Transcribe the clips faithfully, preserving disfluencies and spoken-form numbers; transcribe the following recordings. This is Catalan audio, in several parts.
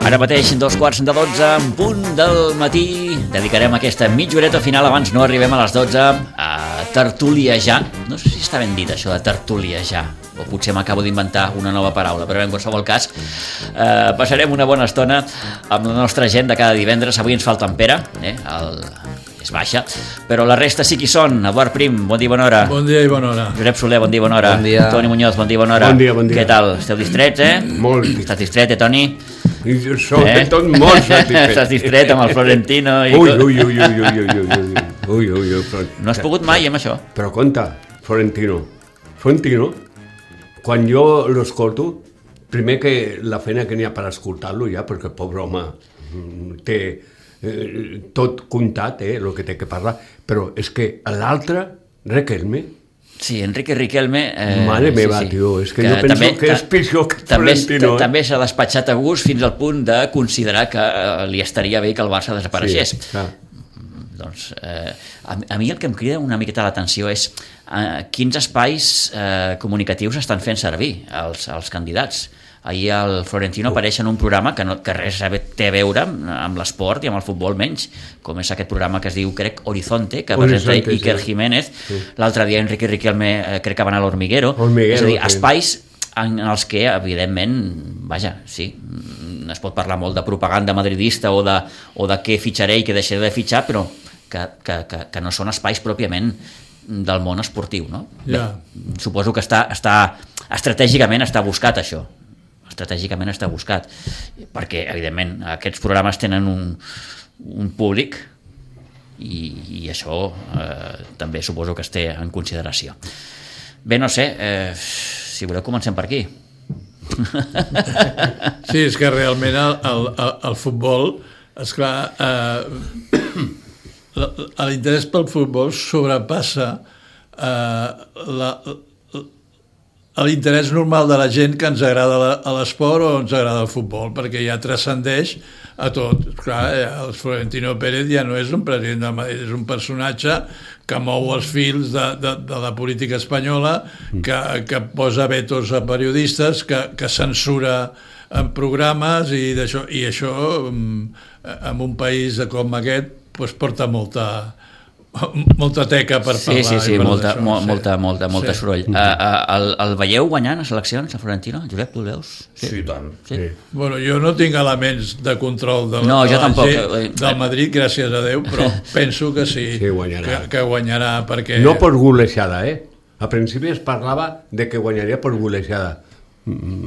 Ara mateix, dos quarts de dotze, en punt del matí, dedicarem aquesta mitja horeta final, abans no arribem a les dotze, a tertuliejar. No sé si està ben dit això de tertuliejar, o potser m'acabo d'inventar una nova paraula, però en qualsevol cas eh, passarem una bona estona amb la nostra gent de cada divendres. Avui ens falta en Pere, eh, el... és baixa, però la resta sí que hi són. Eduard Prim, bon dia, bona hora. Bon dia i bona hora. Josep Soler, bon dia, bona hora. Bon dia. Toni Muñoz, bon dia, bona hora. Bon dia, bon dia. Què tal? Esteu distrets, eh? Molt. Estàs distret, eh, Toni? I jo sobretot eh? molt satisfet. Estàs distret amb el Florentino i... Ui, ui, ui, ui, ui, ui, ui, ui, ui, ui. No has pogut mai amb això? Però compte, Florentino. Florentino, quan jo l'escolto, primer que la feina que n'hi ha per escoltar-lo ja, perquè el pobre home té eh, tot comptat, eh, el que té que parlar, però és que l'altre, Riquelme, sí, Enrique Riquelme... Eh, mare meva, sí, sí. tio, és que, que jo penso també, que és pitjor que també, Florentino. Eh? També s'ha despatxat a gust fins al punt de considerar que eh, li estaria bé que el Barça desapareixés. Sí, clar. Doncs, eh, a, a mi el que em crida una miqueta l'atenció és eh, quins espais eh, comunicatius estan fent servir els, els candidats. Ahir el Florentino apareix en un programa que, no, que res té a veure amb, amb l'esport i amb el futbol menys, com és aquest programa que es diu, crec, Horizonte, que Horizonte, presenta Iker sí. Jiménez. Sí. L'altre dia Enrique Riquelme eh, crec que va anar a l'Hormiguero. Hormiguero, és a dir, sí. espais en els que, evidentment, vaja, sí, es pot parlar molt de propaganda madridista o de, o de què fitxaré i què deixaré de fitxar, però que, que, que, que no són espais pròpiament del món esportiu, no? Ja. Bé, suposo que està, està estratègicament està buscat això. estratègicament està buscat, perquè evidentment aquests programes tenen un, un públic i, i això eh, també suposo que es té en consideració. Bé, no sé, eh, si voleu comencem per aquí. Sí, és que realment el, el, el, el futbol, esclar, eh, l'interès pel futbol sobrepassa eh, la l'interès normal de la gent que ens agrada l'esport o ens agrada el futbol, perquè ja transcendeix a tot. Clar, el Florentino Pérez ja no és un president del Madrid, és un personatge que mou els fils de, de, de la política espanyola, que, que posa vetos a periodistes, que, que censura en programes i, d'això, i això en un país com aquest pues, porta molta... molta teca per parlar. Sí, sí, sí, molta, això, molta, sí. molta, molta, molta sí. soroll. Uh, uh, el, el veieu guanyant a seleccions, a Florentino? Josep, tu el veus? Sí, sí tant. Sí. Sí. Bueno, jo no tinc elements de control de, no, de jo la tampoc. gent del Madrid, gràcies a Déu, però penso que sí, sí guanyarà. Que, que guanyarà, perquè... No per golejada, eh? A principi es parlava de que guanyaria per golejada.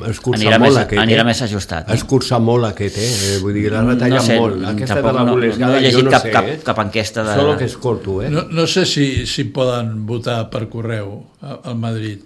Escurça anirà molt més, aquest, anirà eh? més ajustat. Escurça molt aquest, eh? Vull dir, la retalla no sé, molt. Aquesta de la no, golejada, no he llegit jo no cap, sé, cap, eh? cap enquesta de... Solo que escolto, eh? No, no sé si, si poden votar per correu al Madrid.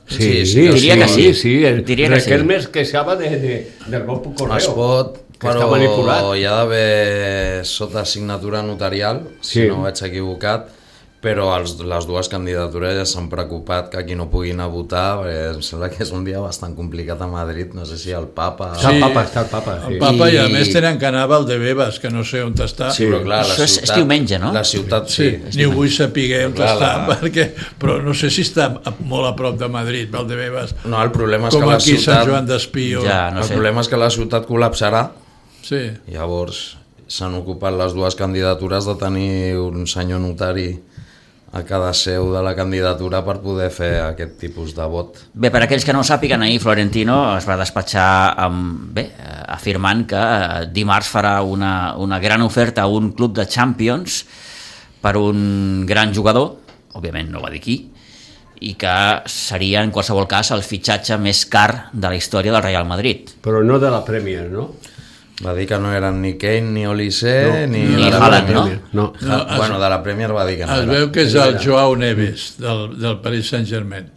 Sí, Sí, sí, diria sí, que sí. sí, el Diria que sí. Riquelme es queixava de, de, del bon correu. Es pot, que però està manipulat. hi ha d'haver sota signatura notarial, si Sí. no vaig equivocat, però els, les dues candidatures ja s'han preocupat que aquí no puguin a votar, perquè em sembla que és un dia bastant complicat a Madrid, no sé si el papa... Està el Sí. papa, està el papa. Sí. El papa i, I- a més tenen que anar a Valdebebas, que no sé on està. Sí, però clar, la Això és- ciutat... és diumenge, no? La ciutat, Sí, sí. ni ho vull saber on Clar, està, la- perquè, però no sé si està a- molt a prop de Madrid, Valdebebas, No, el problema és com que la aquí ciutat... Sant Joan d'Espí. o- Ja, no el sé. problema és que la ciutat col·lapsarà, Sí. llavors s'han ocupat les dues candidatures de tenir un senyor notari a cada seu de la candidatura per poder fer aquest tipus de vot. Bé, per aquells que no ho sàpiguen, ahir Florentino es va despatxar amb, bé, eh, afirmant que eh, dimarts farà una, una gran oferta a un club de Champions per un gran jugador, òbviament no va dir qui, i que seria en qualsevol cas el fitxatge més car de la història del Real Madrid. Però no de la Premier, no? Va dir que no eren ni Kane, ni Olise, No, ni... ni de la Haaland, Premier. no? No. No, Ah, bueno, de la Premier va dir que no Es era. veu que és el Joao Neves, del, del Paris Saint-Germain.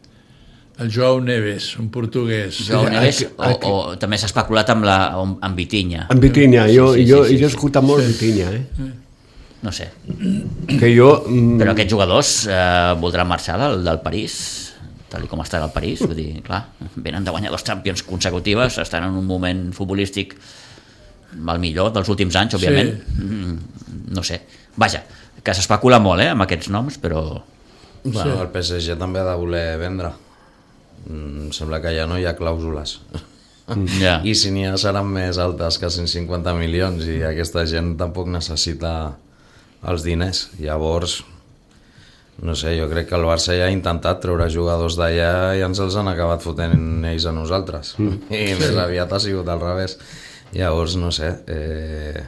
El Joao Neves, un portuguès. Joao Neves, aquí- o, aquí- o també s'ha especulat amb, la, amb, amb Vitinha. En Vitinha, jo, Sí, sí, jo, sí, sí, jo he sí. escoltat molt Vitinha, eh? No sé. Que jo... mm, Però aquests jugadors eh, voldran marxar del, del París? tal com està el París, vull dir, clar, venen de guanyar dos Champions consecutives, estan en un moment futbolístic el millor dels últims anys, òbviament. Sí. Mm, no sé, vaja, que s'especula molt, eh, amb aquests noms, però... Bueno, sí. El P S G també ha de voler vendre. Mm, sembla que ja no hi ha clàusules. Yeah. I si n'hi ha seran més altes que cent cinquanta milions i aquesta gent tampoc necessita els diners. Llavors, no sé, jo crec que el Barça ja ha intentat treure jugadors d'allà i ens els han acabat fotent ells a nosaltres. Mm. I sí. Més aviat ha sigut al revés. Llavors, no sé... Eh...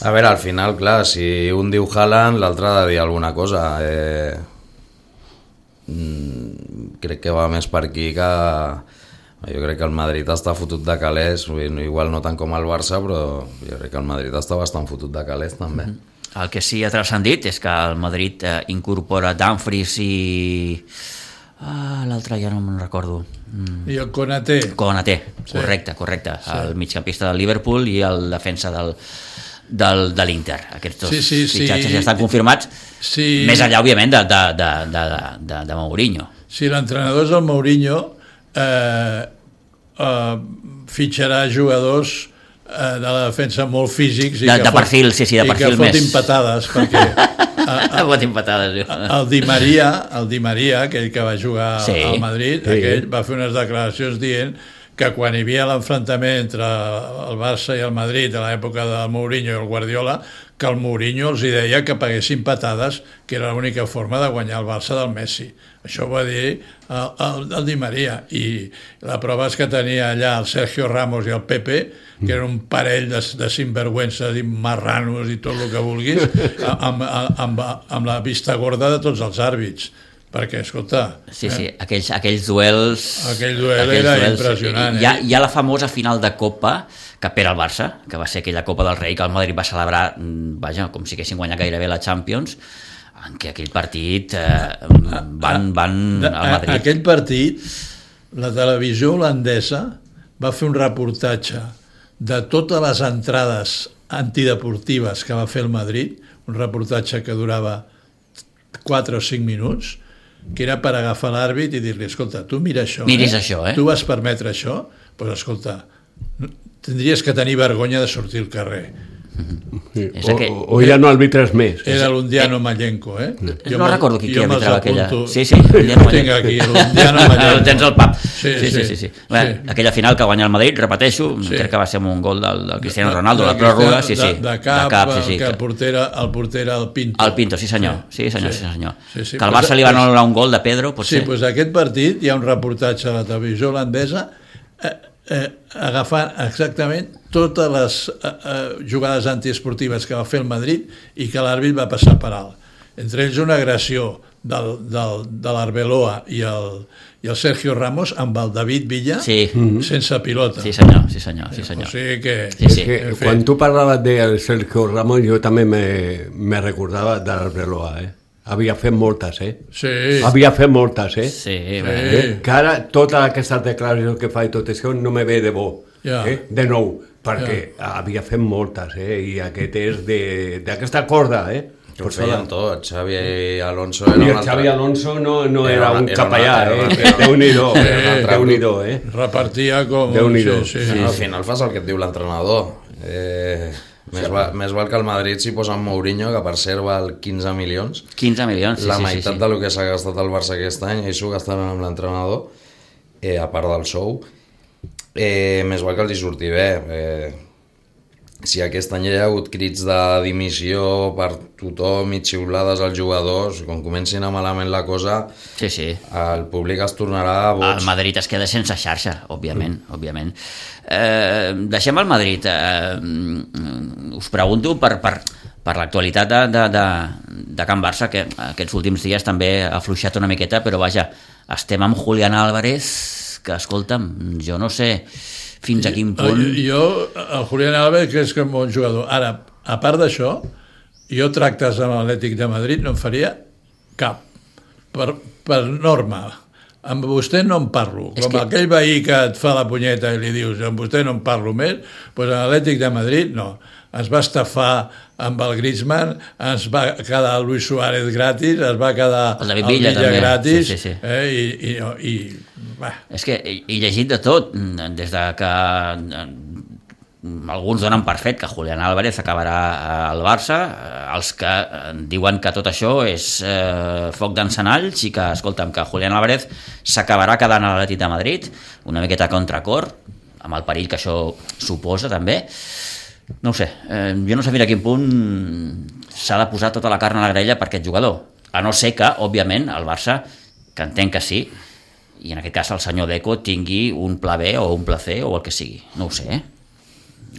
A veure, al final, clar, si un diu Haaland, l'altre ha de dir alguna cosa. Eh... Mm, crec que va més per aquí que... Jo crec que el Madrid està fotut de calés, igual no tant com el Barça, però jo crec que el Madrid està bastant fotut de calés també. El que sí ha transcendit és que el Madrid eh, incorpora Dumfries i... Ah, l'altre ja no me'n recordo. Mm. I el Konaté. Konaté, sí. correcte, correcte. Sí. El migcampista del Liverpool i el defensa del, del, de l'Inter. Aquests dos sí, sí, fitxatges sí. ja estan confirmats, sí. Més enllà, òbviament, de, de, de, de, de, de Mourinho. Si l'entrenador és el Mourinho, eh, eh, fitxarà jugadors eh, de la defensa molt físics i de, que, de perfil, sí, sí, de perfil i que fotin més. patades, perquè a, fotin patades, el Di Maria, el Di Maria, aquell que va jugar sí. al Madrid, sí. aquell va fer unes declaracions dient que quan hi havia l'enfrontament entre el Barça i el Madrid a l'època del Mourinho i el Guardiola, que el Mourinho els deia que paguessin patades, que era l'única forma de guanyar el Barça del Messi. Això ho va dir el, el, el Di Maria. I la prova és que tenia allà el Sergio Ramos i el Pepe, que era un parell de, de sinvergüences i marranos i tot el que vulguis, amb, amb, amb la vista gorda de tots els àrbits. Perquè, escolta... Sí, sí, eh? aquells, aquells duels... Aquell duel aquells era duels, impressionant. Hi ha, hi ha la famosa final de Copa que per al Barça, que va ser aquella Copa del Rei que el Madrid va celebrar, vaja, com si haguessin guanyat gairebé la Champions, en què aquell partit eh, van, van al Madrid. Aquell partit, la televisió holandesa va fer un reportatge de totes les entrades antideportives que va fer el Madrid, un reportatge que durava quatre o cinc minuts, que era per agafar l'àrbit i dir-li, escolta, tu mira això, Miris eh? això, eh? Tu vas permetre això? Doncs pues, escolta, tindries que tenir vergonya de sortir al carrer. Sí. O, aquell... o ja no arbitres més. Era l'Undiano Mallenco, eh? No, jo no recordo qui, qui arbitrava aquella. Sí, sí, l'Undiano Mallenco. Aquí, l'Undiano Mallenco. El tens al pap. Sí, sí, sí, sí. sí, sí. Bé, sí. Aquella final que guanya el Madrid, repeteixo, sí. crec que va ser amb un gol del, del Cristiano Ronaldo, de, de, la pròrroga, sí, sí. De, de cap, de cap sí, sí. que el porter, el porter era el Pinto. El Pinto, sí senyor, sí, sí senyor, sí. sí senyor. Sí, sí. Que al Barça pues, li van anul·lar un gol de Pedro, potser. Sí, doncs pues aquest partit hi ha un reportatge a la televisió holandesa eh, eh, agafant exactament totes les eh, eh, jugades antiesportives que va fer el Madrid i que l'àrbit va passar per alt. Entre ells una agressió del, del, de l'Arbeloa i el, i el Sergio Ramos amb el David Villa sí. sense pilota. Sí senyor, sí senyor. Sí, senyor. O sigui que... Sí, sí. que quan tu parlaves del Sergio Ramos jo també me, me recordava de l'Arbeloa, eh? Havia fet moltes, eh? Sí. Havia fet moltes, eh? Sí, sí. eh? Que ara totes aquestes declaracions que fa i tot això no me ve de bo, ja. eh? De nou, perquè ja. havia fet moltes, eh? I aquest és d'aquesta corda, eh? Ho feien tot, Xavi Alonso era I el Xavi Alonso no, no era, era un capellà, eh? Déu-n'hi-do, Déu-n'hi-do, eh? Repartia com... Déu-n'hi-do. Sí, sí. Sí. Al final fas el que et diu l'entrenador. Eh... Més, va, més val que el Madrid s'hi posa en Mourinho, que per cert val quinze milions. quinze milions, sí, la sí, meitat sí, sí. del que s'ha gastat el Barça aquest any, ells s'ho gastaran amb l'entrenador, eh, a part del sou. Eh, més val que els hi surti bé. Eh, si aquest any hi ha hagut crits de dimissió per tothom i xiulades als jugadors, quan comenci a anar malament la cosa, sí, sí. el públic es tornarà a boig. El Madrid es queda sense xarxa, òbviament, mm. òbviament. Eh, deixem el Madrid. Eh, us pregunto per, per, per l'actualitat de, de, de, de Can Barça, que aquests últims dies també ha afluixat una miqueta, però vaja, estem amb Julián Álvarez, que escolta'm, jo no sé fins a quin punt... Jo, el Julián Álvarez, que és un bon jugador. Ara, a part d'això, jo tractes amb l'Atlètic de Madrid no en faria cap, per, per norma. amb vostè no en parlo. És Com que... aquell veí que et fa la punyeta i li dius amb vostè no en parlo més, doncs en l'Atlètic de Madrid no. Es va estafar amb el Griezmann, ens va quedar Luis Suárez gratis, es va quedar el David Villa, Villa també. gratis, sí, sí, sí. Eh, i, i, i, i és que he llegit de tot, des de que alguns donen per fet que Julián Álvarez acabarà al Barça, els que diuen que tot això és eh, foc d'encenalls i que, escolta'm, que Julián Álvarez s'acabarà quedant a l'Atlètic de Madrid, una miqueta a contracor, amb el perill que això suposa també. No ho sé, eh, jo no sé fins a quin punt s'ha de posar tota la carn a la graella per aquest jugador, a no ser que, òbviament, el Barça, que entenc que sí, i en aquest cas el senyor Deco tingui un pla B o un pla C o el que sigui, no ho sé, eh?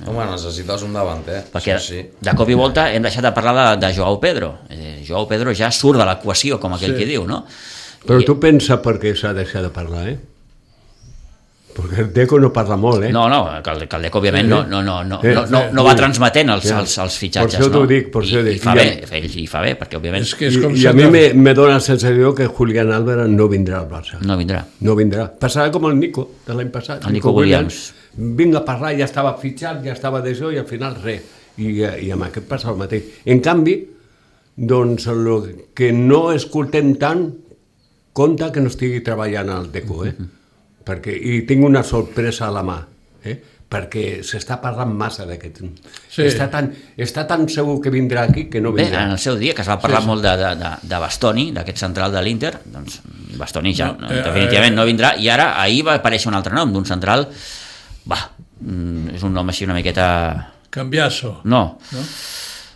Home, necessites un davanter. Perquè sí, sí. de cop i volta hem deixat de parlar de, de Joao Pedro. Eh, Joao Pedro ja surt de l'equació, com aquell Sí. que diu, no? Però I... tu pensa per què s'ha deixat de parlar, eh? Perquè el Deco no parla molt, eh? No, no, que el, que el Deco, òbviament, Sí. no, no, no, no, Sí, no, no, no sí. va transmetent els, Ja. els, els fitxatges, Per això no? t'ho dic, per I, això i dic. fa I bé, a- ell hi fa bé, perquè, òbviament, és que és I, com i a si mi me, me dona la sensació que Julián Álvarez no vindrà al Barça. no vindrà. No vindrà. Passarà com el Nico de l'any passat. El Nico Williams. Vinga a parlar, ja estava fitxat, ja estava d'això i al final res. I, I amb aquest passa el mateix. En canvi, doncs el que no escoltem tant, compte que no estigui treballant al Deco, eh? Perquè, i tinc una sorpresa a la mà, eh? Perquè s'està parlant massa d'aquest. Sí. Està, tan, està tan segur que vindrà aquí que no Bé, vindrà. en el seu dia, que es va parlar Sí, sí. molt de, de, de, de Bastoni, d'aquest central de l'Inter, doncs Bastoni ja No, no, eh, definitivament eh, no vindrà, i ara ahir va aparèixer un altre nom, d'un central, va, mm, és un nom així una miqueta... Cambiasso. No, No?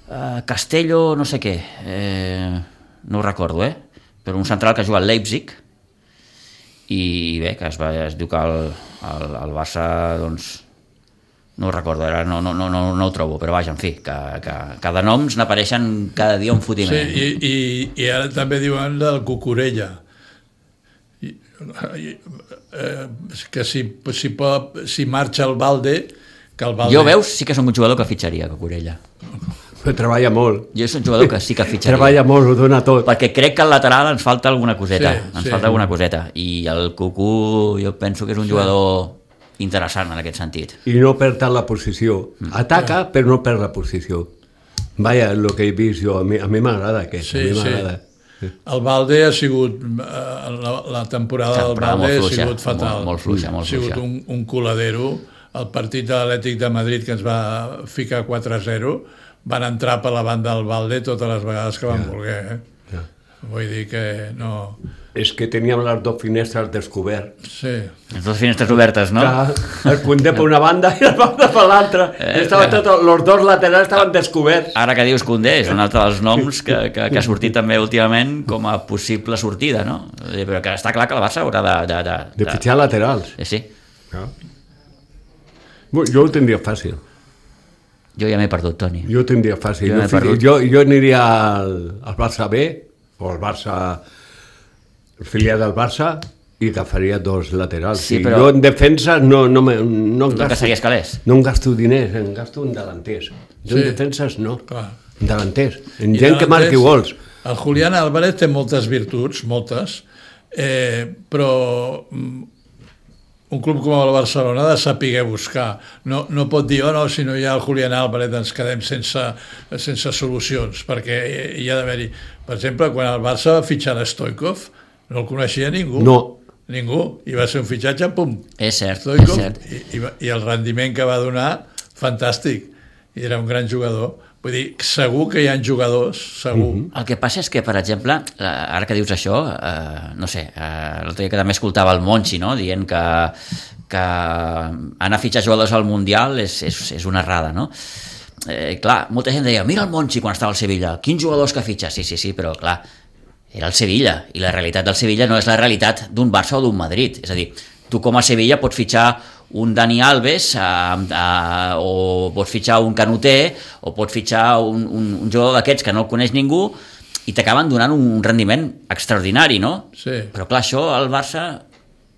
Uh, Castello no sé què, eh, no ho recordo, eh? Però un central que juga al Leipzig, i bé, que es, va, es diu que el, el, el Barça, doncs, no ho recordo, ara no, no, no, no, no ho trobo, però vaja, en fi, que, que, que de noms n'apareixen cada dia un Sí, fotiment. i, i, i ara també diuen del Cucurella. I, i, eh, que si, si, pot, si marxa el Valde, que el Valde... Jo, veus, sí que som un jugador que fitxaria, Cucurella. Però treballa molt. Jo soc un jugador que sí que fitxaria. Treballa molt, ho dona tot. Perquè crec que al lateral ens falta alguna coseta, Sí, ens sí. falta alguna coseta. I el Cucú jo penso que és un jugador interessant en aquest sentit. I no perd tant la posició. Ataca, però no perd la posició. Vaja, el que he vist jo, a mi a mi m'agrada aquest, Sí, a mi sí. m'agrada. El Valde ha sigut, eh, la, la temporada del Temporada Valde molt ha fluixa, sigut fatal. molt- molt fluixa, molt ha sigut fluixa. un, un coladero. El partit de l'Atlètic de Madrid que ens va ficar quatre a zero, van entrar per la banda del Valde totes les vegades que van Ja. voler. Eh? Ja. Vull dir que no... És que teníem les dues finestres descobert. Sí. Les dues finestres obertes, no? Que el Condé per una banda i el Banda per l'altra. Eh, Estava eh. tot, els dos laterals estaven descoberts. Ara que dius Condé, és un altre dels noms que, que, que ha sortit també últimament com a possible sortida, no? Eh, Però que està clar que el Barça haurà de... De, de, De fitxar laterals. Eh, sí, Ja. Jo ho tindria fàcil. jo ja m'he perdut, Toni. Jo ho tindria fàcil. Jo Jo, m'he fi- perdut. jo, jo aniria al, al Barça B o al Barça el filial del Barça i agafaria dos laterals. Sí, I però- Jo en defensa no, no, me, no, em No que seguies calés. no em gasto diners, em gasto en delanters. Jo Sí. en defenses no, Clar. en delanters, en I gent que delanters, marqui gols. El Julián Álvarez té moltes virtuts, moltes, eh, però mm, un club com el Barcelona ha de saber buscar. No, no pot dir, oh no, si no hi ha el Julián Álvarez ens quedem sense, sense solucions, perquè hi ha d'haver-hi... Per exemple, quan el Barça va fitxar l'Stoikov, no el coneixia ningú. No. Ningú. I va ser un fitxatge, pum, És cert, és Stoikov, cert. i, i, va- i el rendiment que va donar, fantàstic. I era un gran jugador. Vull dir, segur que hi ha jugadors, segur. Mm -hmm. El que passa és que, per exemple, eh, ara que dius això, eh, no sé, eh, l'altre dia que també escoltava el Monchi, no?, dient que, que anar a fitxar jugadors al Mundial és, és, és una errada, no? Eh, clar, molta gent deia, mira el Monchi quan estava al Sevilla, quins jugadors que fitxa? Sí, sí, sí, però clar, era el Sevilla, i la realitat del Sevilla no és la realitat d'un Barça o d'un Madrid. És a dir, tu com a Sevilla pots fitxar un Dani Alves a, a, o pots fitxar un Canuté o pots fitxar un, un, un jugador d'aquests que no el coneix ningú i t'acaben donant un rendiment extraordinari, no? Sí. Però clar, això al Barça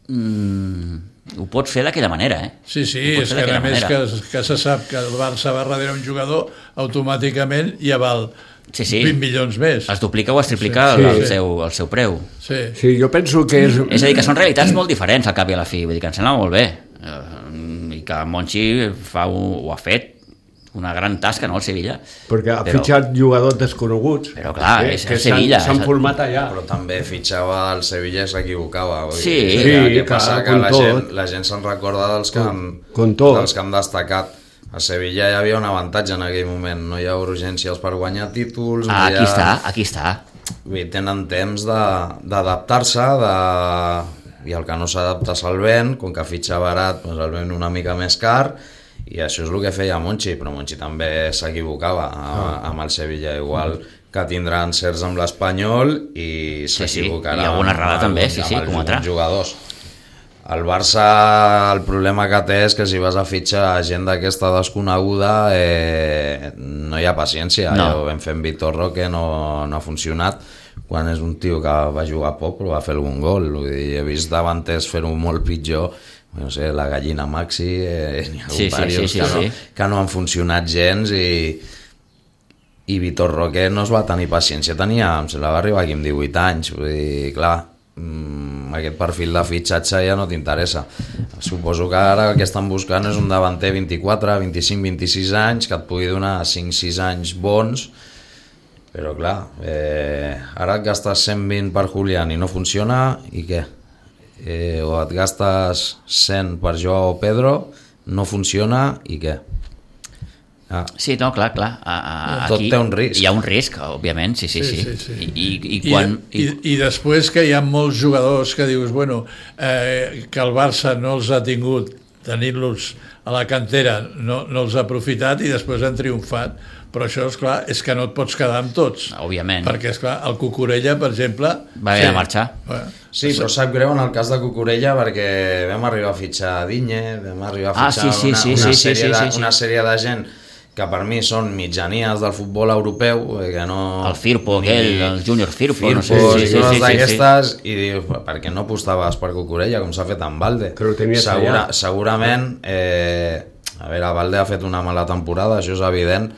mmm, ho pots fer d'aquella manera, eh? Sí, sí, Ho pots és fer que a d'aquella més manera. que, que se sap que el Barça va darrere un jugador, automàticament ja val Sí, sí. vint milions més. Es duplica o es triplica Sí, el, sí. el, seu, el seu preu. Sí. Sí, jo penso que és... És a dir, que són realitats molt diferents al cap i a la fi, vull dir que em sembla molt bé. Eh, I que Monchi fa un, ho ha fet una gran tasca, no, al Sevilla. Perquè ha Però- fitxat jugadors desconeguts. Però clar, eh, és que el Sevilla, s'han- S'han és el- format allà. Però també fitxava el Sevilla i s'equivocava. vull Sí. dir, Sí, que, que clar, passa que com la tot. gent, la gent se'n recorda dels que, han, com tot. dels que han destacat. A Sevilla hi havia un avantatge en aquell moment, no hi ha urgències per guanyar títols. Ah, no hi aquí ha... està, aquí està. Vull dir, tenen temps de- d'adaptar-se de... i el que no s'adapta se'l ven, com que fitxa barat doncs el ven una mica més car, i això és el que feia Monchi, però Monchi també s'equivocava a- amb el Sevilla, igual que tindrà encerts amb l'Espanyol i Sí, sí, s'equivocarà i alguna errada amb també, alguns- sí, sí, amb com alguns altra. jugadors. El Barça, el problema que té és que si vas a fitxar gent d'aquesta desconeguda eh, no hi ha paciència. No. Ja ho vam fer amb Vitor Roque, no, no ha funcionat, quan és un tio que va jugar poc però va fer algun gol. Vull dir, he vist davanters fer-ho molt pitjor, no sé, la gallina Maxi, eh, n'hi ha Sí, sí, diversos sí, sí, que, no, sí. que no han funcionat gens i, i Vitor Roque no es va tenir paciència, tenia, em sembla, va arribar aquí amb divuit anys, vull dir, clar, mm, aquest perfil de fitxatge ja no t'interessa. Suposo que ara el que estan buscant és un davanter vint-i-quatre, vint-i-cinc, vint-i-sis anys que et pugui donar cinc sis anys bons, però clar, eh, ara et gastes cent vint per Julián i no funciona, i què? Eh, o et gastes cent per Joao Pedro, no funciona, i què? Ah, Sí, no, clar, clar. A, a, Tot aquí té un risc. Hi ha un risc, òbviament, sí, sí, sí. Sí, sí, sí. I, i, i, I, quan, i, i després que hi ha molts jugadors que dius, bueno, eh, que el Barça no els ha tingut, tenint-los a la cantera, no, no els ha aprofitat i després han triomfat. Però això, és clar, és que no et pots quedar amb tots. Òbviament. Perquè, és clar, el Cucurella, per exemple... Va haver de marxar. Bueno, sí, però sap greu en el cas de Cucurella perquè vam arribar a fitxar Digne, vam arribar a Ah, fitxar sí, sí, una, sí, una, sí, sí, sèrie sí, de, sí, sí. una sèrie de gent que per mi són mitjanies del futbol europeu, eh, que no... El Firpo, aquell, el Júnior Firpo, no sé. Firpo, Sí, i sí, coses sí, sí, d'aquestes, i dius, per què no apostaves per Cucurella, com s'ha fet amb Valde? Que ho tenies Segura, allà. segurament, eh, a veure, Valde ha fet una mala temporada, això és evident,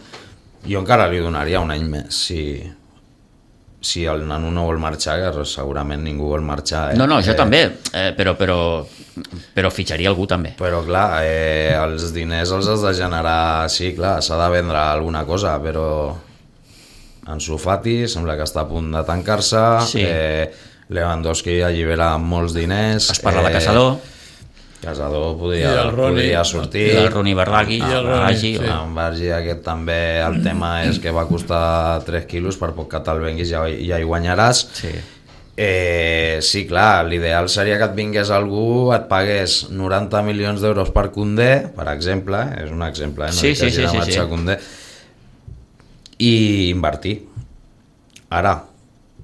jo encara li donaria un any més, si, si el nano no vol marxar, que segurament ningú vol marxar. Eh? No, no, jo eh, també, eh, però, però, però fitxaria algú també. Però clar, eh, els diners els has de generar, sí, clar, s'ha de vendre alguna cosa, però Ansu Fati sembla que està a punt de tancar-se, Sí. eh, Lewandowski allibera molts diners, Es parla de Caçador, Casador I podria, el Roni. podria sortir, i el Roni Barraghi, I el el Roni, Barghi, sí. en Bargi aquest també, el tema és que va costar tres quilos, per poc que te'l venguis ja, ja hi guanyaràs. Sí. Eh, sí, clar, l'ideal seria que et vingués algú, et pagués noranta milions d'euros per Koundé, per exemple, eh? És un exemple, eh? no Sí, dic que sí, hagi de sí, sí, marxar sí. Koundé, i invertir. Ara,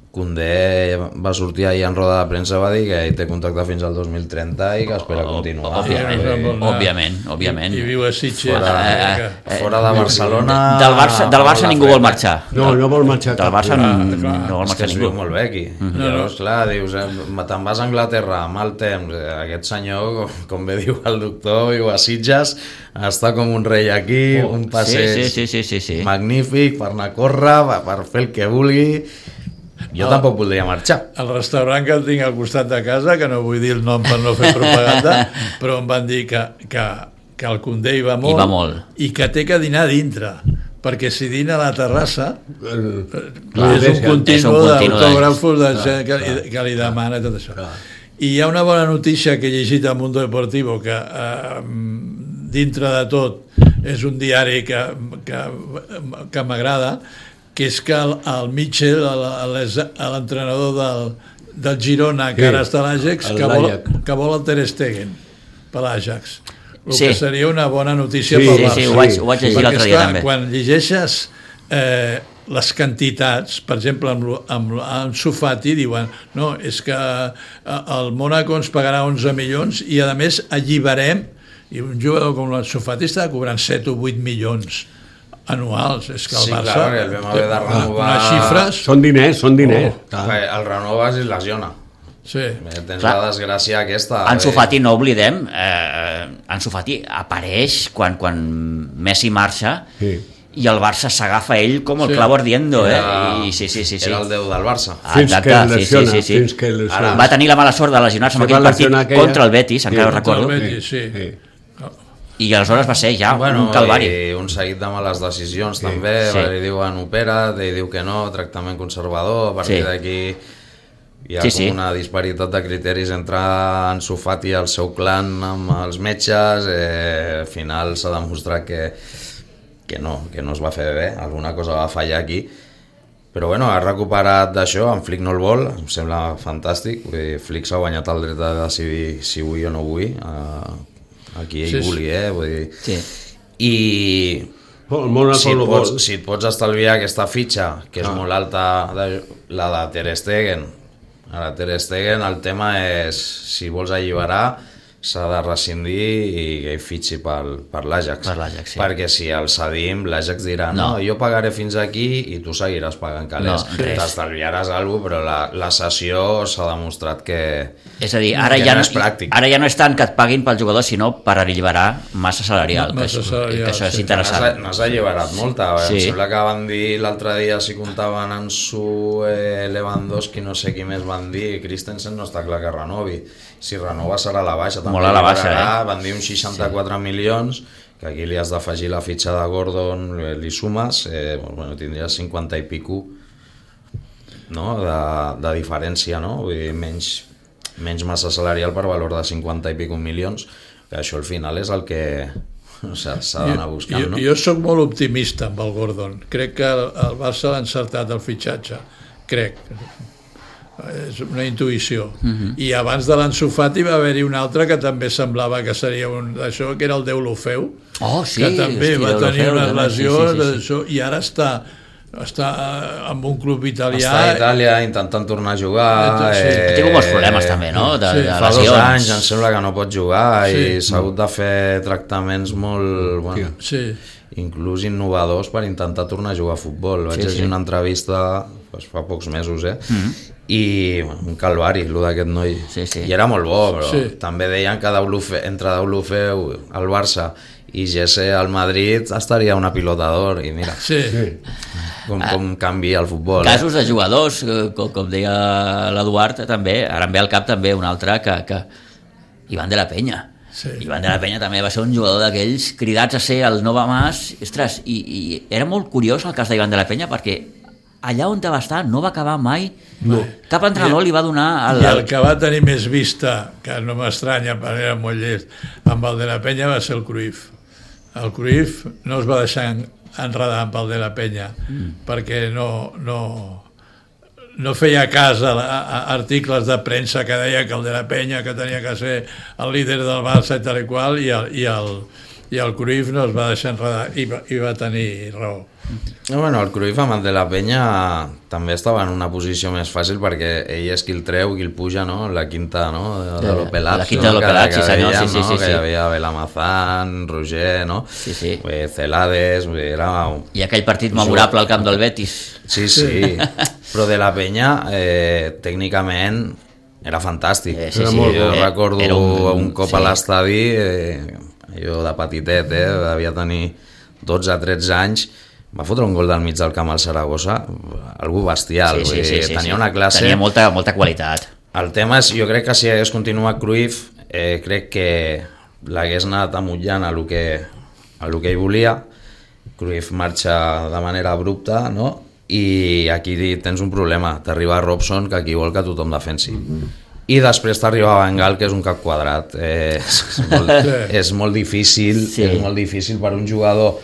Koundé va sortir ahir en roda de premsa, va dir que ell té contacte fins al dos mil trenta i que espera Ó- continuar. òbviament, Vull dir, òbviament, òbviament. I, i viu a Sitges. Fora, que- eh, fora de Barcelona... Del Barça, del Barça la ningú freda. vol marxar. No, no vol marxar Del cap. Barça Clar, no, clar. no vol És que marxar es viu ningú. molt bé aquí. Mhm. Llavors, clar, dius, eh, te'n vas a Anglaterra, mal temps, eh, aquest senyor, com, com bé diu el doctor, viu a Sitges, està com un rei aquí, Oh, un passeig sí, sí, sí, sí, sí. magnífic per anar a córrer, per- per fer el que vulgui. Jo El- tampoc voldria marxar. El restaurant que el tinc al costat de casa, que no vull dir el nom per no fer propaganda, però em van dir que, que, que el Koundé hi va molt, va molt. i que té que dinar dintre, perquè si dina a la terrassa El- Clar, és un és continu un continu de- d'autògrafos de gent que, li, que li demana tot això. I hi ha una bona notícia que he llegit al Mundo Deportivo, que eh, dintre de tot és un diari que, que, que m'agrada, que és que el, el Mitchell, el- el- l'entrenador del, del Girona, que Sí, ara està a l'Àgex, el que, vol, l'Ajax. que vol el Ter Stegen per l'Àjax. El Sí. que seria una bona notícia Sí, pel Sí, Barça. sí, ho vaig, ho vaig llegir Perquè, l'altre dia esclar, també. quan llegeixes eh, les quantitats, per exemple, amb, lo- amb, lo- amb Sufati, diuen, no, és que eh, el Mónaco ens pagarà onze milions i, a més, alliberem, i un jugador com el Sufati està cobrant set o vuit milions anuals. És que el Sí, Barça clar, perquè el vam haver de té renovar- unes xifres... Són diners, són diners. Oh. Clar. Perquè el renoves i es lesiona. Sí. Eh, Tens Clar. la desgràcia aquesta. Ansu eh, Fati, no oblidem, eh, Ansu Fati apareix quan, quan Messi marxa Sí. i el Barça s'agafa ell com el Sí. clavo ardiendo, eh? Era, I, sí, sí, sí, sí. era el déu del Barça. Ah, Fins exacte, que sí, lesiona, sí, sí, sí. fins que lesiona. Va tenir la mala sort de lesionar-se en Se aquell va partit lesionar aquella- contra el Betis, encara ho Sí, recordo, Contra el Betis, sí. Sí. i aleshores va ser ja Bueno, un calvari. i un seguit de males decisions Sí. també, Sí. li diuen opera't, ell diu que no, tractament conservador, a partir Sí. d'aquí hi ha Sí, com sí. una disparitat de criteris entre Ansu Fati i el seu clan amb els metges, eh, al final s'ha demostrat que, que no, que no es va fer bé, alguna cosa va fallar aquí, però bueno, ha recuperat d'això, en Flick no el vol, em sembla fantàstic, vull dir, Flick s'ha guanyat el dret de decidir si vull o no vull, eh, aquí ell Sí, sí. vulgui, eh, vull dir, Sí. i El Mónaco si et, lo pots, vol. si et pots estalviar aquesta fitxa, que és Ah. molt alta, de, la de Ter Stegen, a la Ter Stegen el tema és, si vols alliberar, s'ha de rescindir i que hi fitxi pel, per l'Ajax. Per l'Ajax, sí. Perquè si el cedim, l'Ajax dirà, no. No. no, jo pagaré fins aquí i tu seguiràs pagant calés. No, res. T'estalviaràs alguna cosa, però la, la sessió s'ha demostrat que... És a dir, ara que ja, no no, és pràctic. ara ja no és tant que et paguin pel jugador, sinó per alliberar massa salarial, que, Massa és, salarial, que això és sí. interessant. N'has n'has alliberat molta. Sí. Em sembla que van dir l'altre dia, si comptaven Ansu, eh, Lewandowski, no sé qui més van dir, Christensen no està clar que renovi. Si renova serà a la baixa. També Molt a la baixa, alliberarà, eh? Van dir uns seixanta-quatre sí. milions, que aquí li has d'afegir la fitxa de Gordon, eh, li sumes, eh, bueno, tindries cinquanta i pico, no? de, de diferència, no? Vull dir, menys, menys massa salarial per valor de cinquanta i pico milions, que això al final és el que o sigui, s'ha d'anar buscant, jo, no? jo sóc molt optimista amb el Gordon. Crec que el, el Barça l'ha encertat el fitxatge. Crec. És una intuïció. Uh -huh. I abans de l'Ansu Fati va haver-hi un altre que també semblava que seria un d'això, que era el Deulofeu, Oh, sí, que també hosti, va tenir Deulofeu, unes també, lesions, sí, sí, sí. Això, i ara està està amb un club italià. Està a Itàlia intentant tornar a jugar. Sí. Eh, Té molts problemes també, no? De, Sí. de Fa dos lesions. anys em sembla que no pot jugar Sí. i s'ha hagut de fer tractaments molt, bueno, Sí. inclús innovadors per intentar tornar a jugar a futbol. Vaig Sí, llegir sí. una entrevista pues, fa pocs mesos, eh? Mm-hmm. I bueno, un calvari, el d'aquest noi. Sí, sí. I era molt bo, però Sí. també deien que Deulofeu, entre Deulofeu al Barça i Gese al Madrid estaria una pilota d'or i mira Sí. com, com canvia el futbol. eh? Casos de jugadors, eh, com, com deia l'Eduard, també, ara em ve al cap també un altre que, que Ivan de la Penya. Sí. Ivan de la Penya també va ser un jugador d'aquells cridats a ser el Nova Mas, ostres, i, i era molt curiós el cas d'Ivan de la Penya perquè allà on va estar no va acabar mai, No. cap entrenador li va donar el, I el que va tenir més vista, que no m'estranya perquè era molt llest, amb el de la Penya va ser el Cruyff. El Cruyff no es va deixar enredar amb el de la Penya mm. perquè no, no, no feia cas a, a, a articles de premsa que deia que el de la Penya que tenia que ser el líder del Barça i tal i qual, i el, i el, i el Cruyff no es va deixar enredar i va, i va tenir raó. Bueno, el Cruyff amb el de la Penya també estava en una posició més fàcil perquè ell és qui el treu, qui el puja, no? La quinta, no? De, de La- l'Opelazzo, la quinta de no? l'Opelazzo, Que- que senyor, dèiem, sí, sí, no? sí, Que sí. hi havia Belamazán, Roger, no? Sí, sí. Bé, Celades, bé, era... un- i aquell partit memorable al camp del Betis. Sí, sí, però de la Penya eh, tècnicament era fantàstic. Eh, sí, Era sí, molt Jo bo. eh, recordo era un, un cop sí. a l'estadi, eh, jo de petitet, eh, devia tenir dotze o tretze anys, va fotre un gol del mig del camp al Saragossa, algú bestial, Sí, sí, vull sí, dir, sí, tenia sí. una classe... Tenia molta, molta qualitat. El tema és, jo crec que si hagués continuat Cruyff, eh, crec que l'hagués anat amullant a lo que, a lo que ell volia. Cruyff marxa de manera abrupta, no? I aquí tens un problema, t'arriba Robson, que aquí vol que tothom defensi. I després t'arriba Van Gaal, que és un cap quadrat. Eh, és, molt, és molt difícil, Sí. és molt difícil per un jugador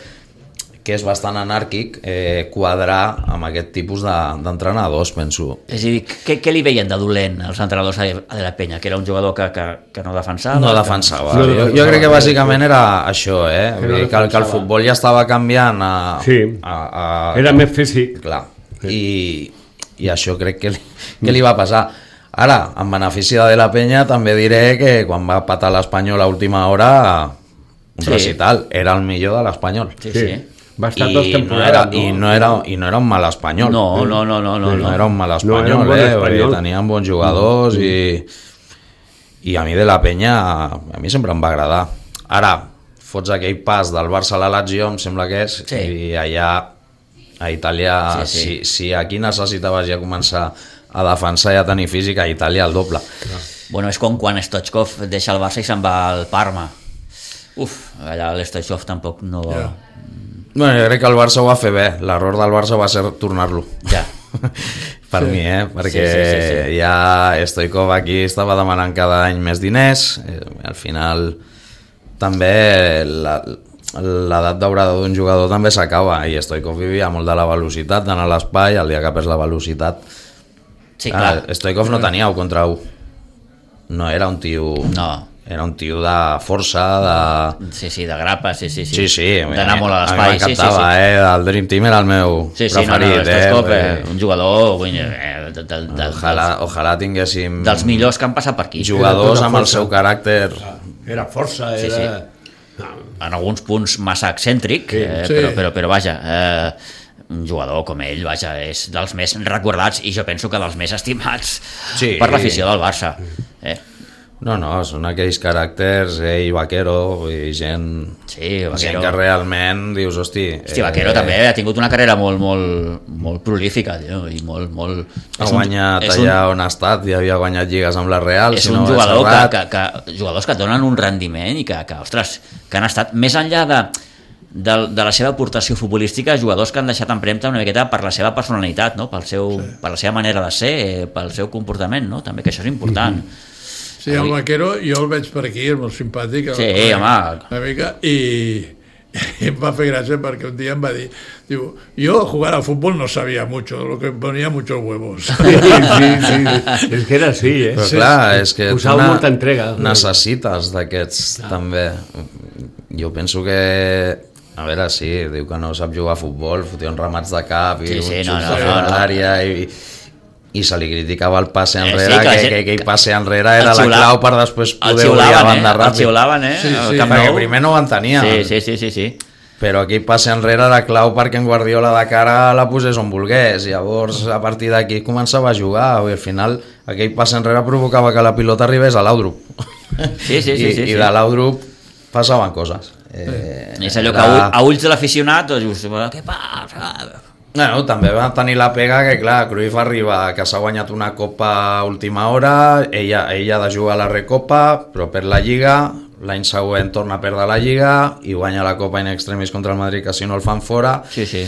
que és bastant anàrquic eh, quadrar amb aquest tipus de- d'entrenadors, penso. És a dir, què, què li veien de dolent els entrenadors a de la Penya? Que era un jugador que, que, que no defensava? No que- defensava. No Jo, defensava. jo crec que bàsicament era això, eh? Que no Vull dir que, el, que el defensava. futbol ja estava canviant a... Sí. a, a Era més físic. Clar. I, I això crec que li, que li va passar. Ara, en benefici de De la Penya, també diré que quan va patar l'Espanyol a última hora, un Sí. recital, era el millor de l'Espanyol. Sí, sí. Va estar dos I no, temporades, era, no? i, no era, I no era un mal espanyol. No, no, no, no, no, No, no. era un mal No, espanyol, era un bon eh? espanyol. Perquè tenien bons jugadors i, i a mi De la Penya a mi sempre em va agradar. Ara, fots aquell pas del Barça a la Lazio, em sembla que és, sí. i allà a Itàlia, sí, sí. Si, si aquí necessitaves ja començar a defensar i a tenir física, a Itàlia el doble. Ah. Bueno, és com quan Stoichkov deixa el Barça i se'n va al Parma. Uf, allà l'Stoichkov tampoc no... Yeah. Bueno, jo crec que el Barça ho va fer bé, l'error del Barça va ser tornar-lo. Ja. Per sí. mi, eh? Perquè sí, sí, sí, sí. ja Stoichkov aquí estava demanant cada any més diners, eh, al final també la, l'edat daurada d'un jugador també s'acaba, i Stoichkov vivia molt de la velocitat, d'anar a l'espai, el dia que pers la velocitat. Sí, clar. Ah, Stoichkov no tenia u contra u, no era un tio... No. Era un tio de força, de... Sí, sí, de grapa, sí, sí. Sí, sí. D'anar molt a l'espai. A mi m'encantava, sí, sí, sí. eh? El Dream Team era el meu sí, sí, preferit. No, no, Stoichkov, eh? eh? Un jugador... Vull, eh, de, de, de, ojalà, ojalà tinguéssim... Dels millors que han passat per aquí. Jugadors amb el seu caràcter... Era força, era... Sí, sí. En alguns punts massa excèntric, sí, eh, sí. Però, però, però vaja... Eh, un jugador com ell, vaja, és dels més recordats i jo penso que dels més estimats sí. per l'afició del Barça. Eh? No, no, són aquells caràcters, ell, Vaquero, i gent, sí, Vaquero. gent que realment dius, hosti... Hosti, Vaquero eh, també ha tingut una carrera molt, molt, molt prolífica, tio, i molt... molt... Ha guanyat un, allà un, on ha estat, i havia guanyat lligues amb la Real, és si un no jugador que, que, que, jugadors que et donen un rendiment i que, que, ostres, que han estat més enllà de... De, de la seva aportació futbolística, jugadors que han deixat empremta una miqueta per la seva personalitat, no? Pel seu, sí. per la seva manera de ser, pel seu comportament, no? També, que això és important. Sí, el Vaquero jo el veig per aquí, és molt simpàtic. Sí, el, home. Una mica, i, i em va fer gràcia perquè un dia em va dir, diu, jo jugar al futbol no sabía mucho, lo que ponía muchos huevos. Sí, sí, sí, és que era així, eh? Però clar, és que posava una, molta entrega. Necessites d'aquests, ah. també. Jo penso que... A veure, sí, diu que no sap jugar a futbol, fotia uns ramats de cap i sí, sí, un no, xut no, de no, no. l'àrea i, i se li criticava el passe enrere, eh, sí, que, gent, que aquell passe enrere era xiula, la clau per després poder obrir a banda eh? ràpid. El xiulaven, eh? Sí, sí, Cap perquè nou. primer no ho entenia. Sí, sí, sí, sí, sí. Però aquell passe enrere era clau perquè en Guardiola de cara la posés on volgués. Llavors, a partir d'aquí començava a jugar i al final aquell passe enrere provocava que la pilota arribés a l'Audrup. Sí, sí, sí. I, sí, i sí. de l'Audrup passaven coses. Eh, és allò que a, ull, a ulls de l'aficionat dius, què passa? Bueno, també va tenir la pega que, clar, Cruyff arriba que s'ha guanyat una copa a última hora, ella, ella ha de jugar a la recopa, però perd la Lliga, l'any següent torna a perdre la Lliga i guanya la copa in extremis contra el Madrid, que si no el fan fora. Sí, sí.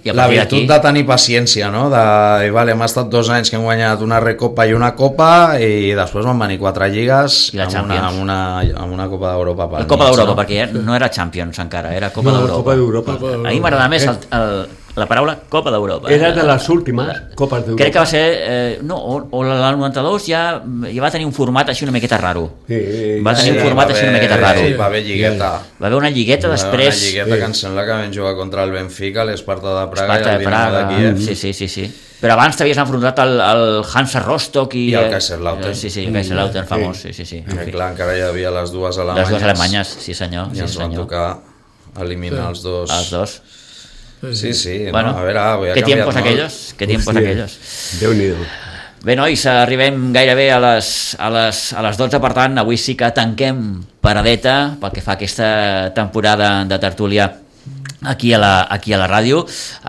I la virtut de tenir paciència, no? De, vale, hem estat dos anys que hem guanyat una recopa i una copa i després van venir quatre lligues amb una, amb, una, amb una Copa d'Europa. La Copa d'Europa, no? Perquè no era Champions encara, era Copa no, d'Europa. Copa d'Europa. A mi m'agrada més el, el, la paraula Copa d'Europa. Era de les últimes Copes d'Europa. Crec que va ser... Eh, no, o, o la noranta-dos ja, ja va tenir un format així una miqueta raro. Sí, va tenir sí, un format així una miqueta raro. Sí, va haver lligueta. Va haver una lligueta va després... Una lligueta sí. que em sembla que vam jugar contra el Benfica, l'Esparta de Praga Esparta i el Dinamo de Kiev. Sí, sí, sí, sí. Però abans t'havies enfrontat al, al Hansa Rostock i... I el Kaiserslautern. Sí, sí, el Kaiserslautern famós, sí, sí, sí. sí. Clar, encara hi havia les dues alemanyes. Les dues alemanyes, sí senyor. I ens sí, van senyor. tocar eliminar sí. els dos. Els dos. Sí, sí, bueno, no, a veure, avui ha ¿qué canviat tiempos molt. aquellos? ¿Qué tiempos Hòstia, aquellos? Déu-n'hi-do. Bé, nois, arribem gairebé a les, a, les, a les dotze, per tant, avui sí que tanquem paradeta pel que fa a aquesta temporada de tertúlia aquí a la, aquí a la ràdio.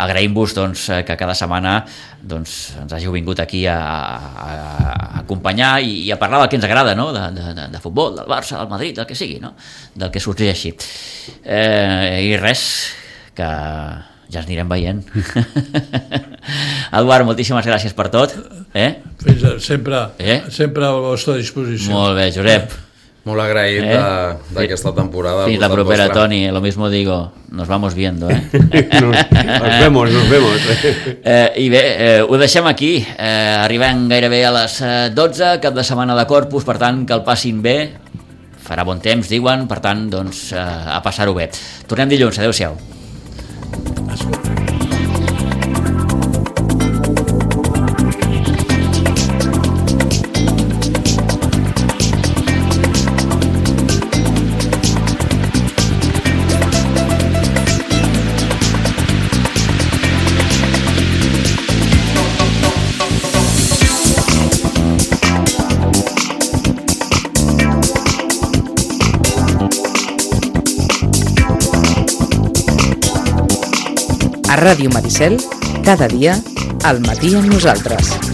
Agraïm-vos doncs, que cada setmana doncs, ens hàgiu vingut aquí a, a, a acompanyar i, i a parlar del que ens agrada, no? de, de, de futbol, del Barça, del Madrid, del que sigui, no? Del que sorgeixi. Eh, I res, que ja ens anirem veient. Eduard, moltíssimes gràcies per tot. Eh? Fins a, sempre, eh? sempre a la vostra disposició. Molt bé, Josep. Molt agraït eh? d'aquesta temporada. Fins la propera, Toni, lo mismo digo, nos vamos viendo. Eh? nos, nos vemos, nos vemos. Eh, I bé, eh, ho deixem aquí. Eh, arribem gairebé a les dotze, cap de setmana de Corpus, per tant, que el passin bé. Farà bon temps, diuen, per tant, doncs, eh, a passar-ho bé. Tornem dilluns, adeu-siau. A Ràdio Maricel, cada dia, al matí amb nosaltres.